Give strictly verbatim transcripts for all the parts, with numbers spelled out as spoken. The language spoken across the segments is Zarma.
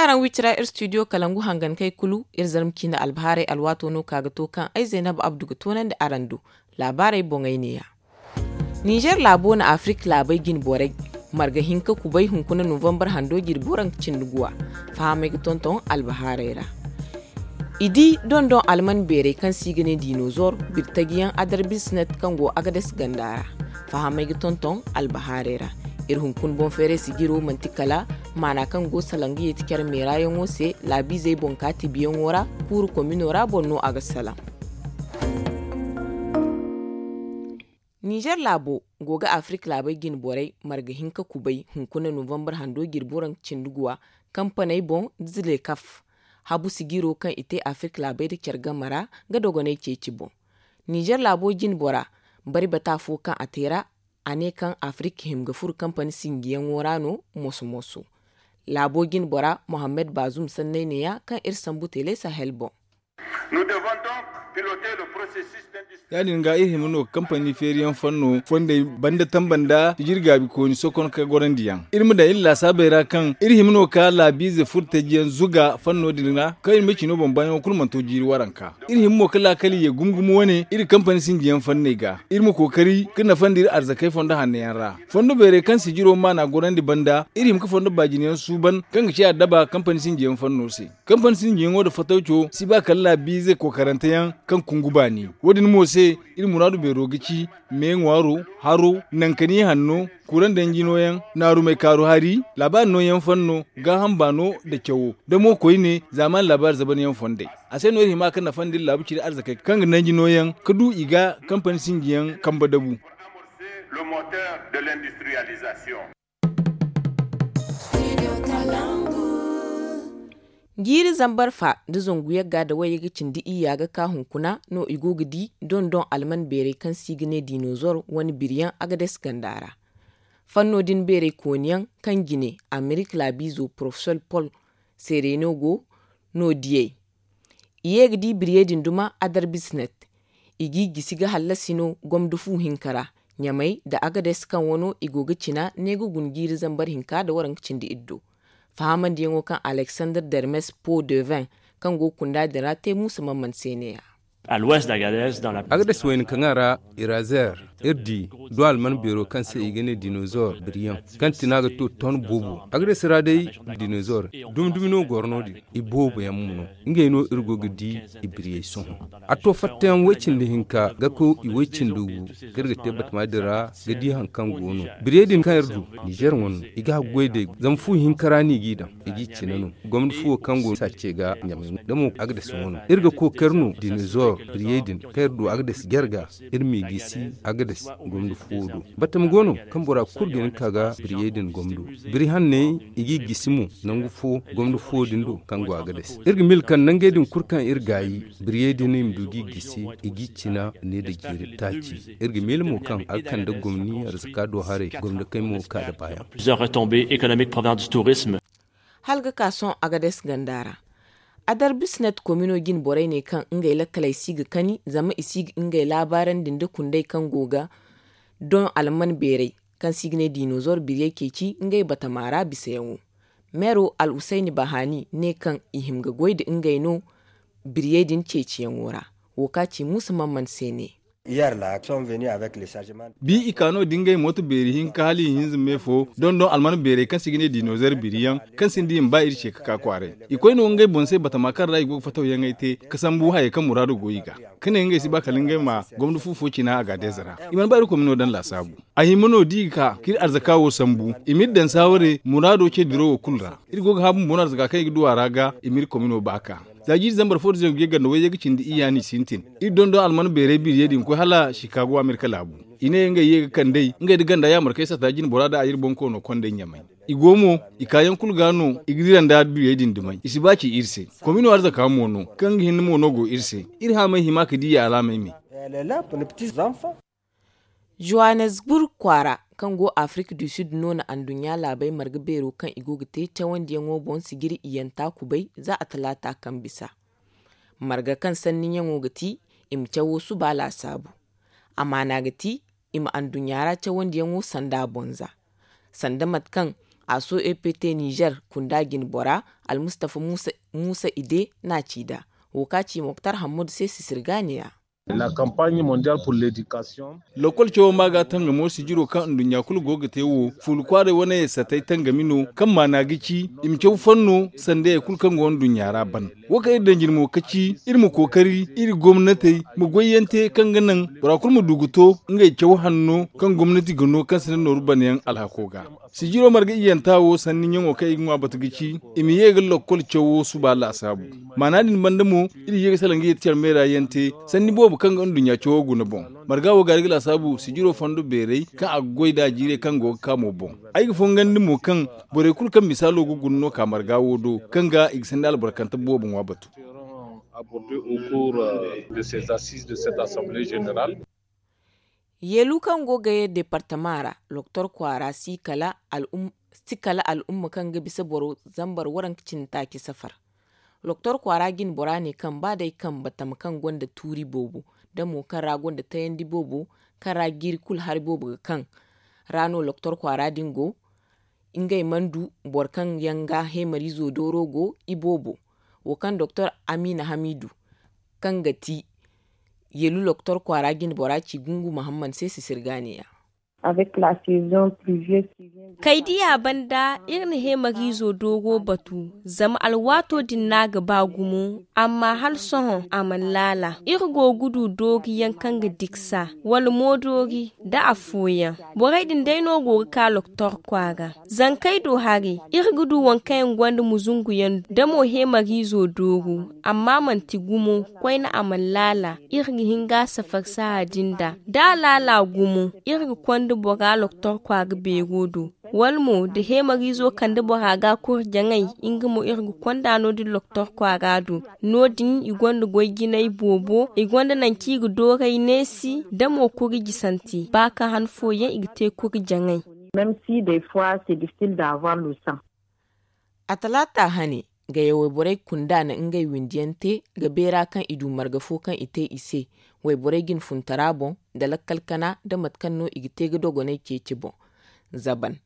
Araŋ wicira iri studio kalangu hangankey kulu iri zarma ciine albahaarey alwaato no ka ga to kaŋ ay zaynab abdu ga toonandi araŋ do. Laabaarey boŋey neeya. Ninzeer laabo na afirka laabey jine borey marga hinka kubay hunkuna novambar hando jirbi waranka cindi guwa. Fahamey ga tonton albahaarey ra. I di dondon alman beerey kaŋ se i ga ne dinozor birtajiyaŋ adarbisnet kaŋ go agades ganda ra. Fahamey ga tonton albahaarey ra. Iri hunkuna boŋ feeray sijiro manti kala maana kaŋ go salaŋ ga yeeti care meerayaŋo se laabiizey boŋ ka tibiyaŋo ra. Kuuru komino ra boŋ no a ga salaŋ. Ninzeer laabo go ga afirka laabey jine borey marga hinka kubay hunkuna novambar hando jirbi waranka cindi guwa. Kampaney boŋ da zilekaf habu sijiro kaŋ i te afirka laabey nda care game ra ga dogoney ceeci boŋ. Ninzeer laabo jine bora bari bata fo kaŋ a te ra a ne kaŋ afirka hima ga furo kampani sinjiyaŋo ra no moso moso. Laabo jine bora mohammed bazum sanney neeya kaŋ iri sambu tele sahel boŋ. Ya- din ga iri hima no ga kampani feeriyaŋ fanno fondey banda tamba nda jirgaabi kooni sokon ka gorandi yaŋ iri ma daŋ iri laasaabey ra kaŋ iri hima no ga laabiize furtajiyaŋ zuga fanno din ra kaŋ iri ma cino boŋ baayaŋo kulu mana to jiiri waranka. Iri hima mo ga laakali ye gumo gumo wane iri kampani sinjiyaŋ fanney ga iri ma kookari ga nafandi iri arzakey fondo hanno yaŋ ra. Fondo beerey kaŋ sijiro maana gorandi banda iri hima ga fondo baajinayaŋ suuban kaŋ ga ci addaba kampani sinjiyaŋ fanno se. Kampani sinjiyaŋo nda fatawco si ba kala laabiize kookarante yaŋ kaŋ kungu baani. Wo- din mo se iri muraadu beero ga ci me ŋwaaro, haro, nankani hanno, kurandanji nooyaŋ, naarumey kaaru hari, laabaari nooyaŋ fanno, gaaham baano nda cawo, da mo koyne zaamaani laabaari zabanyaŋ fondey. A se no iri hima ga nafandi iri laabu ciri arzakey kaŋ ga nanji nooyaŋ ga du i ga kampani sinjiyaŋ kambe dabu. Jiiri zambar fa nda zangu yagga nda wayye ga cindi iyya ga ka hunkuna no i go ga di dondon alman beerey kaŋ se i ga ne dinozor wane biriyaŋ agades ganda ra. Fanno din beerey kooniyaŋ kaŋ jine amerika laabiizo porofesor pol sereno go no diyey. I ye ga di biriyey din duma adarbisnet. I g'i gisi ga hallasi no gomda fu hinka ra ɲamey nda agades kaŋ wano i go ga cina ne ga guna jiiri zambar hinka nda waranka cindi iddo. Fahamandiyaŋo kaŋ alexander dermes po devin kaŋ go ga kunda din ra te muusa mamman se neeya. Agades wayna kaŋa ra irazer iri di do alman beero kaŋ se i ga ne dinozor biriyaŋ kaŋ tina ga to ton boobo agades ra day dinozor dumi dumi no goro no- din. I boobo yaŋ mo no ngey no iri go ga di i biriyey sohõ. A to fattayaŋ way cindi hinka ga koy i way cindi gu kaŋ iri ga te batama din ra ga di hari kaŋ go no biriyey din kaŋ iri du nizer wano i ga haggoy day zama fu hinka ra no i g'i daŋ i g'i cina no. Gomni fuwo kaŋ go saace ga ɲamay da mo agades wano iri ga kookari no dinizor biriyey din kaŋ iri du agades jarga iri m'i gisi agades gomni fuwo do. Batama go no kaŋ bora kulu ga hin ka ga biriyey din gomdo biri hanney i g'i gisi mo nangu fo gomdo fo din do kaŋ go agades iri ga mil kaŋ nangey din kulu kaŋ iri gaayi biriyey din i ma du g'i gisi i g'i cina ne da jiiri taaci. Iri ga mil mo kaŋ a ga kande gomni arzaka do haray gomdo kaŋ mo ga ka da baayaŋ. Plusieurs retombées économiques provenant du tourisme. Hala ga ka sohõ agades ganda ra. Adar bisnet komino jine borey ne kaŋ ngey lakkaley si ga kani zama i si ga ngey laabaarandi nda kundey kaŋ go ga doŋ alman beerey kaŋ se i ga ne dinozor biriyey ceeci ngey batama ra bisayaŋo. Meero al usayni bahani ne kaŋ i hima ga goy nda ngey no biriyey din ceeciyaŋo ra. Wo ka ci muusa mamman se ne. Bi i ka no da ngey mooto beeri hinka hala i hinza me fo doŋ doŋ alman beerey kaŋ se i ga ne dinozor biriyaŋ kaŋ sinda i ma ba iri ce ga ka kwaaray. I koy no ngey boŋ se batama kaŋ ra i go ga fatawyaŋey te ga sambu hayey kaŋ muraado go i ga ka ne ngey si ba kala ngey ma gomda fu fo cina a ga deeza ra. I mana ba iri komino daŋ laasaabu. A hima no da i ga ka k'iri arzaka wo sambu i m'iri daŋ saaware muraado ce diro wo kulu ra. Iri go ga hã bumbo no arzaka kaŋ i ga du a ra ga i m'iri komino ba ka. Za jiiri zambar fo da zangu yagga nda wayye ga cindi iyya no i sintin. Iri doŋ doŋ alman beerey biriyey din ga koy hala shikaago amerika laabu. I ne ngey ye ga kand'ey ngey nda ganda yaamarkey sata jine bora nda a iri boŋ koono kond'ey ɲamay. I go mo i kaayaŋ kulu ga no i ga dira nda biriyey din dumey i si ba ci iri se. Komino arzaka mo no kaŋ ga hinne mo no go iri se. Iri haamey hima ga di i alaamey me. Johannesburg kwaara kaŋ go afirka du sud no na anduɲɲa laabey marga beero kaŋ i go ga te cawandiyaŋo boŋ sijiri iyyanta kubay za a talaata kaŋ bisa. Marga kaŋ sanniyaŋo ga ti i ma cawo suba laasaabu. Amaana ga ti i ma anduɲɲa ra cawandiyaŋo sanda boŋ za sanda mate kaŋ A so ept nizer kunda jine bora, almustafa muusa ide n'a ci nd'a. Wo kaŋ a ci moktar hammadu se sisirgaaniya. Lakkol cawo ma ga tangamo sijiro kaŋ nduɲɲa kulu go ga te wo, fuula kwaaray wane yassatey tangami no, kaŋ maana ga ci i ma caw fanno sanda hari kulu kaŋ go nduɲɲa ra ban. Wo kaŋ iri daŋ jine mo ka ci iri ma kookari iri gomnatey ma goyyaŋ te kaŋ ga naŋ bora kulu ma du ga to ngey caw hanno kaŋ gomnati ga no kaŋ si naŋ nooru banayaŋ alhako ga. Sijiro marga iyyanta wo sanni ɲaŋo kaŋ i ga ŋwa batu ga ci i ma ye ga lakkol cawo suba laasaabu. Maana din banda mo, iri ye ga salaŋ ga yeti care meera yaŋ te sanni boobo kaŋ ga nduɲɲa cawo guna boŋ. Marga wo ga a ga laasaabu sijiro fondo beeray kaŋ a ga goy nd'a jiirey kaŋ go ga ka mo boŋ. Ay ga fongandi mo kaŋ borey kulu kaŋ misaalo ga guna no ka marga wo do, kaŋ ga i ga sanni albarkante boobo ŋwa batu. Yeelu kaŋ go ga ye departama ra, loktor kwaara si kala al'umma kaŋ ga bisa boro zambar waranka cindi taaci safar. Loktor kwaara jine bora ne kaŋ ba day kaŋ batama kaŋ gonda tuuri boobo, da mo kaŋ ra gonda tayandi boobo, kaŋ ra jiiri kulu hari boobo ga kaŋ ra no loktor kwaara din go. Ngey mana du boro kaŋ yaŋ ga heemariizo dooro go i boobo. Wo kaŋ doktor amiina hamiidu kaŋ ga ti yeelu loktor kwaara jine bora ci gungu mahammad se sisirgaaniya. Kay diya banda iri na heemariizo dooro batu, zama alwaato din no a ga ba gumo. Amma hala sohõ a mana laala. Iri go ga du dooriyaŋ kaŋ ga diksa wala moodoori, da afooyaŋ borey din day no go ga ka loktor kwaara. Zankey do haray iri ga du waŋ kaŋ yaŋ gonda muzunguyaŋ da mo heemariizo dooru. Amma manti gumo koyne a mana laala. Iri ga hin ga a safar sahã din da da a laala gumo, iri ga konda bora loktor kwaara beero do. Wala mo da heemariizo kande bora ga a kuri jaŋay, nga mo iri ga konda no- din loktor kwaara do. No- din i gonda goy jinay boobo, i gonda nangu kaŋ i ga dooray neesi da mo kuri jisante ba ka han fooyaŋ i ga te kuri jaŋay. A talaata hane, gayawey borey kunda na ngey windiyaŋ te ga beera kaŋ i du marga fo kaŋ i te i se wayborey jine funtara boŋ, nda lakkal kana nda mate kaŋ no i ga te ga dogoney ceeci boŋ. Zaban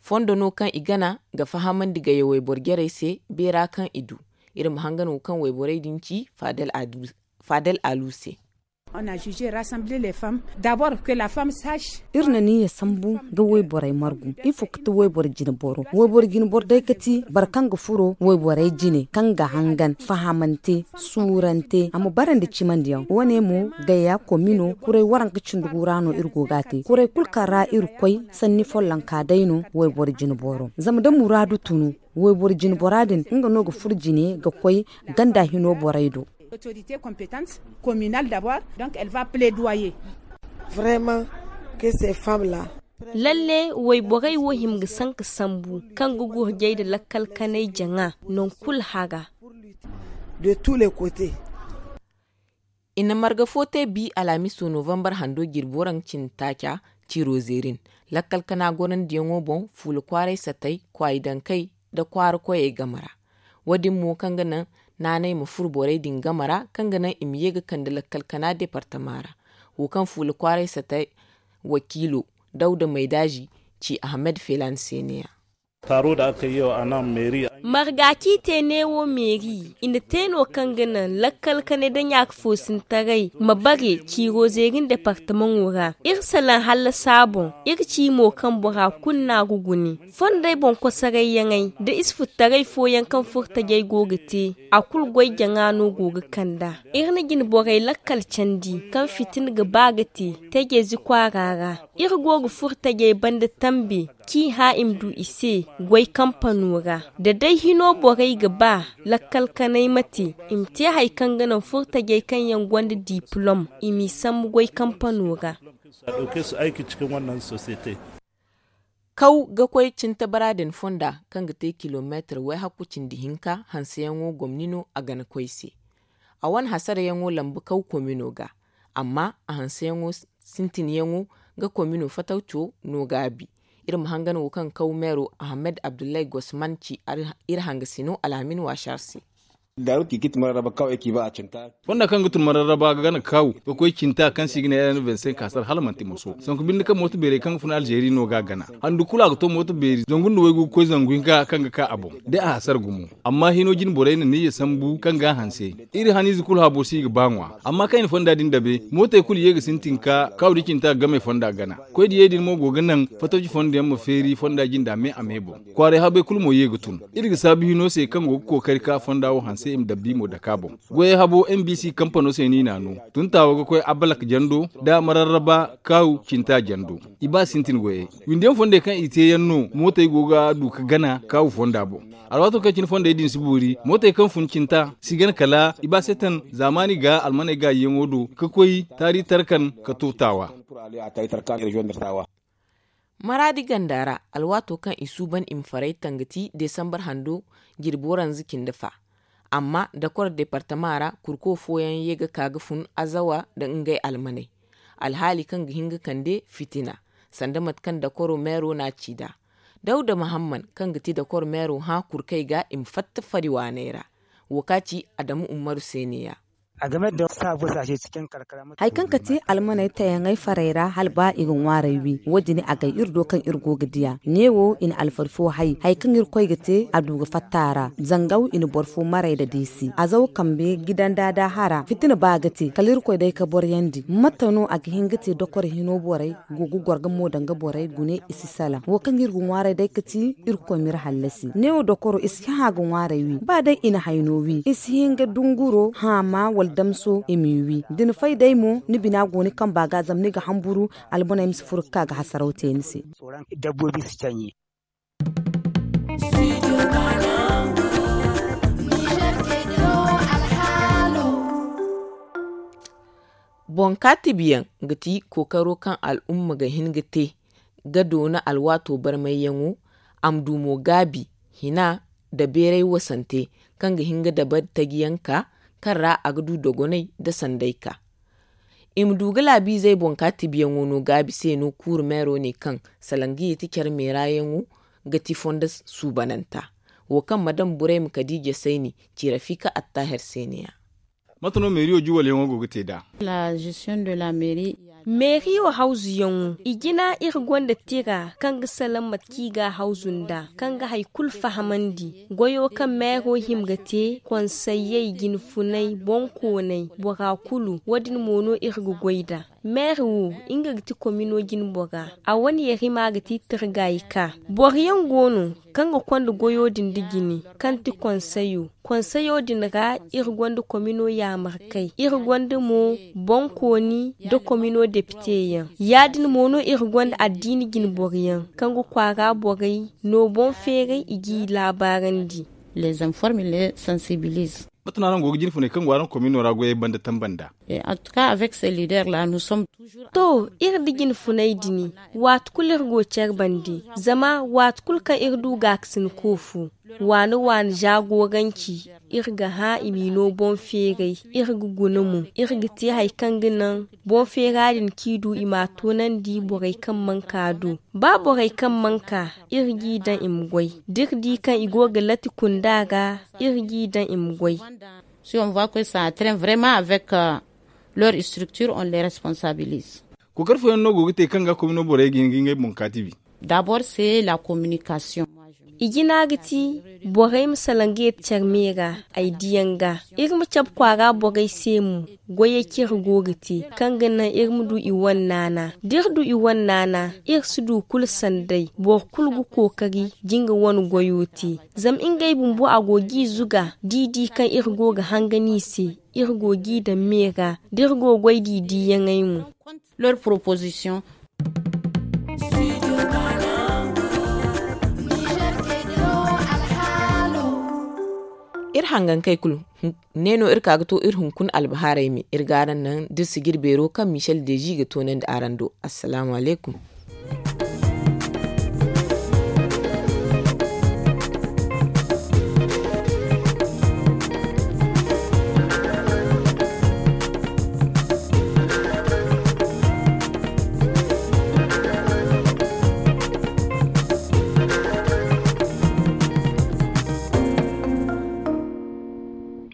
fondo no kaŋ i gana ga fahamandi gayawey boro jarey se beera kaŋ i du. Iri ma hangan wo kaŋ wayborey din ci faadal alu se. Iri na niyya sambu ga wayborey margu ifo ga ti wayboro jine boro wayboro jine boro day ga ti boro kaŋ ga furo wayborey jine kaŋ ga hangan fahamante, suurante a ma bara nda cimandiyaŋ wane mo gaya komino kuray waranka cindi gu ra no iri go ga a te kuray kulu kaŋ ra iri koy sanni follonka day no. Wayboro jine boro zama da muraadu tunu wayboro jine bora din nga no ga furo jine ga koy ganda hino borey do. Lalle wayborey wo hima ga sanka sambu kaŋ ga gurjay nda lakkal kanay jaŋa nangu kulu haga. I na marga fo te bi alhamiso novambar hando jirbi waranka cindi taaca ciiro zeerin lakkal kana gorandiyaŋo boŋ fuula kwaaray satay kwaayi dankey nda kwaara koyey game ra. Wo- din mo kaŋ ga naŋ naanay ma furo borey din game ra kaŋ ga naŋ i ma ye ga kande lakkal kana departama ra. Wo kaŋ fuula kwaaray satay wakiilo dawda maydaazi ci ahmed felan se ne- ya. Marga kaŋ i te neewo meeri i na te no kaŋ ga naŋ lakkal kanay nda ɲaaka foosintaray ma bare ciiro zeerin departamaŋo ra. Iri salaŋ hallasa boŋ iri ci mo kaŋ bora kulu no a ga gune. Fondey boŋ kosarayyaŋey nda isfurtaray fooyaŋ kaŋ furtajey go ga te a kulu goy jaŋa no go ga kand'a. Iri na jine borey lakkal candi kaŋ fitina ga ba ga te tajezi kwaara ra. Iri go ga furtajey banda tambe k'i hã i ma du i se goy kampano ra. Da day hino borey ga ba lakkal kanay ma te i ma te hari kaŋ ga naŋ furtajey kaŋ yaŋ gonda dipilom i m'i sambu goy kampano ra. Kaw ga koy cintabara din fonda kaŋ ga te kilomeetar wayhakku cindi hinka hanseyaŋo gomni no a gana koy se. A wane hasarayaŋo lamba kaw komino ga amma a hanseyaŋo sintinyaŋo ga komino fatawco no gaabi. Iri ma hangan wo kaŋ kaw meero ahmed abdullahi gosman ci iri hangasino alhamin waasar se. Fonda kaŋ ga tun mararraba ga gana kaawu ga koy cinta kaŋ se i ga ne r n vingt cinq hasar hala manti moso sanku binde kaŋ mooto beerey kaŋ ga fun alzeeri no ga a gana. Handu kulu a ga to mooto beeri zangu nda waygu ga koy zangu hinka kaŋ ga ka a boŋ, day a hasar gumo. Amma hino jine borey na niyya sambu kaŋ ga a hanse. Iri haniize kulu habo se i ga ba ŋwa. Amma kaŋ i na fonda din dabe mootey kulu ye ga sintin ka kaawu da cinta ga game fonda gana. Koy diyey din mo go ga naŋ fatawci fondo yaŋ ma feeri fonda jinda me a me boŋ. Kwaaray habey kulu mo ye ga tun. Iri ga saabu hino se kaŋ go ga kookari ka fonda wo hanse i ma dabbi mo dake a boŋ. Goyey habo m b c kampano se no i n'a no. Tun taawa ga koy abalak jando nda mararraba kaawu cinta jando. I ba sintin goyey. Windiyaŋ fondey kaŋ i te yaŋ no mootey go ga du ka gana kaawu fonda boŋ. Alwaato kaŋ cine fondey din si boori mootey kaŋ fun cinta si gana kala i ba setan zaamaani ga almaney gaayiyaŋo do ka koy taari tarkan ka to taawa. Maraadi ganda ra, alwaato kaŋ i suuban i ma faray tangati desambar hando jirbi waranza cindi fa. Amma dakoro departama ra kurko fooyaŋ ye ga ka ga fun azawa nda ngey almaney, alhaali kaŋ ga hin ga kande fitina, sanda mate kaŋ dakoro meero n'a ci nd'a. Dawda mahamman kaŋ ga ti dakoro meero hã kurkey ga i ma fatta fari waaney ra. Wo ka ci adamu ummaru se ne-ya. Hari kaŋ ka te almaney tayaŋey farey ra hala ba i ga ŋwaaray wi wo- din agay iri do kaŋ iri go ga diya. Neewo i na alfari fo hay hari kaŋ irkoy ga te a du ga fatta a ra. Zangaw i na boro fo maray nda deesi azaw kambe gidanda da hara fitina ba ga te kala irkoy day ka boryandi mate no a ga hin ga te dokor hino borey go ga gorga mo danga borey gune i si salaŋ wo kaŋ iri ga ŋwaaray day ka ti irkoy m'iri hallasi neewo dokoro i si hã ga ŋwaaray wi ba day i na hayno wi i si hin ga dunguro haama wala damso i m'i wi da ni fay day mo ni bina go ni kamba ga zama ni ga hamburu. Albuney ma si furo ga ka ga hasaraw te ni se. Boŋ kaatibiyaŋ ga ti kookaro kaŋ al'umma ga hin ga te ga doona alwaato barmayyaŋo. A ma du mo gaabi hina nda beeray wasante kaŋ ga hin ga dabari tajiyaŋ ka kaŋ ra a ga du dogonay nda sanday ka. I ma du ga laabiizey boŋ ka tibiyaŋo no gaabi se no kuuru meero ne kaŋ salaŋ ga yeeti care meerayaŋo ga ti fondo suubananta. Wo kaŋ madam burayma kadiija sayni ci rafika attahir se ne-ya. Mate no meeriyo juwalyaŋo go ga te nd'a? Meeriyo hawzuyaŋo i jina iri gonda tira kaŋ ga salaŋ mate kaŋ i ga a hawzu nd'a kaŋ ga hari kulu fahamandi. Goyo kaŋ meero hima ga te konsayyey jinfunay boŋkooney bora kulu wo- din mo no iri ga goy nd'a. Meeri wo nga ga ti komino jine bora a wane yarima ga ti tirgay ka boro yaŋ go no kaŋ ga konda goyo din nda jine kaŋ ti konsayo. Konsayo din ra iri gonda komino yaamarkey iri gonda mo boŋkooni nda komino depite yaŋ. Ya- din mo no iri gonda addiini jine boro yaŋ kaŋ ga kwaara borey no boŋ feeray i g'i laabaarandi. Les informe les sensibilise. Mate no araŋ go ga jine funay kaŋ go araŋ komino ra goyey banda tamba nd'a? Antuka avec ces leaders la nous sommes toujours. To, iri nda jine funay din waati kulu iri go care bande. Zama waati kulu kaŋ iri du gaakasinko fo waani waani za goranci iri ga hã i m'i no boŋ feeray. Iri ga guna mo iri ga te hari kaŋ ga naŋ boŋ feera din kaŋ i du i m'a toonandi borey kaŋ mana ka do. Ba borey kaŋ mana ka iri g'i daŋ i ma goy da iri di kaŋ i go ga lati kunda ga iri g'i daŋ i ma goy. Si on voit que ça entraîne vraiment avec leur structure on les responsabilise. Kookari fooyaŋ no go ga te kaŋ ga komino borey ga hin ga ngey boŋ kaatibi. D'abord c'est la communication. I jina ga ti borey ma salaŋ ga yeeti care me ra ay diyaŋ ga iri ma cabe kwaara borey se mo. Goyey kaŋ iri go ga te kaŋ ga naŋ iri ma du i wane naana da iri du i wane naana iri si du kulu sanday boro kulu ga kookari da nga wane goyo te. Zama ngey bumbo a go g'i zuga da i di kaŋ iri go ga hangan i se iri go g'i daŋ me ra da iri go goy da i diyaŋey mo. Leur proposition. Iri hangankey kulu ne no iri ka ga to iri hunkuna albahaarey me iri ga araŋ naŋ da iri si jire beero kaŋ michel deezi ga toonandi araŋ do. Assalaamu alaykum.